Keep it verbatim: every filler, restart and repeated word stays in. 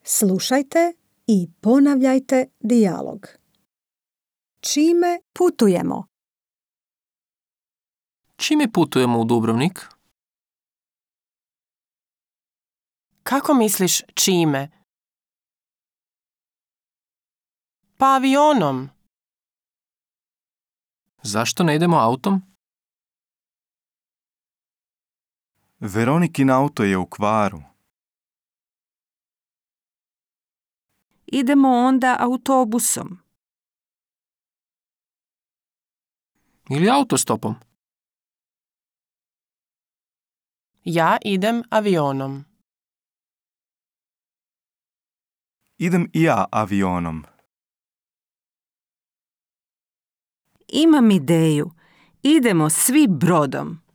Slušajte i ponavljajte dijalog. Čime putujemo? Čime putujemo u Dubrovnik? Kako misliš čime? Pa avionom. Zašto ne idemo autom? Veronikin auto je u kvaru. Idemo onda autobusom. Ili autostopom? Ja idem avionom. Idem i ja avionom. Imam ideju. Idemo svi brodom.